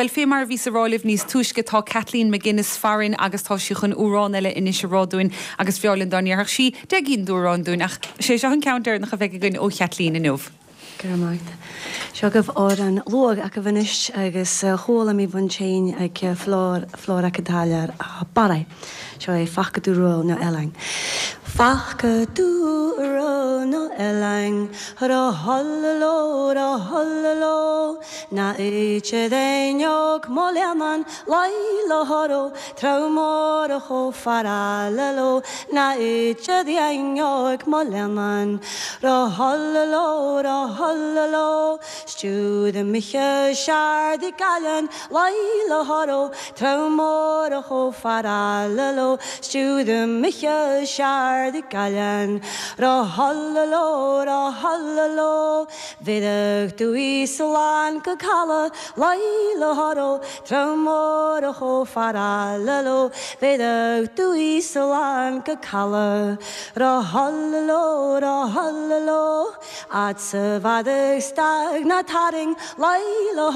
Bhuel, fé mar a bhíos a rá libh níos túisce, tá Kathleen McGuinness farainn agus tá sí chun amhrán eile anois a rá dúinn agus b'fhearr linn dá ndéarfadh sí 10 gcinn d'amhráin dúinn ach sé seo an ceann deireanach a bheidh againn ó Chathleen inniu. Go raibh maith agat. Seo agaibh amhrán luath agaibh anois agus chuala mé bhun tséin ag flor flor acu dáilear a barraidh. Seo é Faca tú Ró na Eilean. Faca tú Ró na Eilean Ró holló ró holló Na oíche d'éineog mo leannán Laidh ló Trá mór a chomh fara le ló Na oíche d'éineog mo leannán Ró holló ró holló Stiúd Micheál Seard i gCaillean Laidh ló Trá mór a chomh fara le ló Stiúd Micheál Seard i gCaillean Ró holló ró holló Bhéadh tú í slán go caladh Laidh ló Trá mór a chomh fara le ló Bhéadh tú í slán go caladh Ró holló ró holló Fhad 's a bhfadadh stag ná tarraing Laidh ló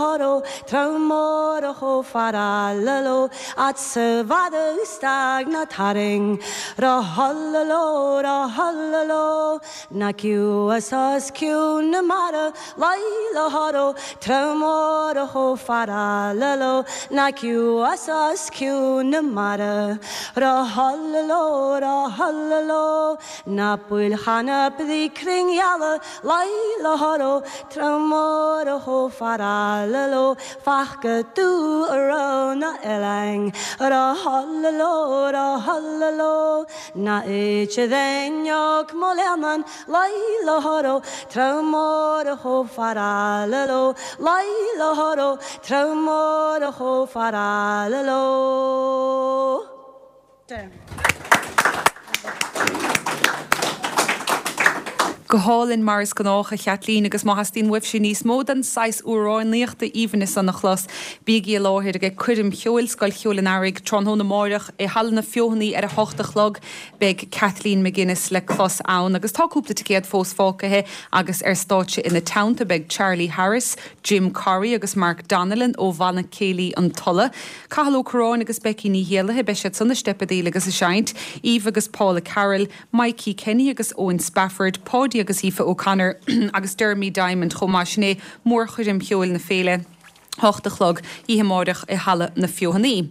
Trá mór a chomh fara le ló Fhad 's a bhfadadh stag ná tarraing Ró holló ró holló Na ciúas os cionn na mara Laidh ló Trá mór a chomh fara le ló Na ciúas os cionn na mara Ró holló ró holló Na poill chanap bhí cruinngheala Laidh ló Trá mór a chomh fara le ló Faca tú ró na oileáin Ró holló ró holló Na oíche d'éineog mo leannán Laidh ló Trá mór a chomh fara le ló Laidh ló Trá mór a chomh fara le ló. Go hálainn mar is gnách, a Chaitlín, agus má theastaíonn uaibhse níos mó den saghas amhránaíochta aoibhinn san a chlos, bígí i láthair ag coirm cheoil Scoil Cheoil an Earraigh tráthnóna amáireach i Halla na Feothanaí ar a hocht a chlog. Beidh Kathleen McGuinness le clos ann agus tá cúpla ticéad fós fágtha agus ar stáitse ina teannta beidh Charlie Harris, Jim Corry agus Mark Donnellan ó Bhanna Céilí an Tulaigh, Cathal Ó Curráin agus Becky Ní Héallaithe, beidh siad san ag steipeadaíl agus ag seinnt, Eva agus Paula Carroll, Mikey Kenny agus Owen Spafford, Paudie agus Aoife O'Connor agus Dermy Diamond chomh maith. Sin é mórchoirm cheoil na féile, 8 a chlog, oíche amáireach i Halla na Feothanaí.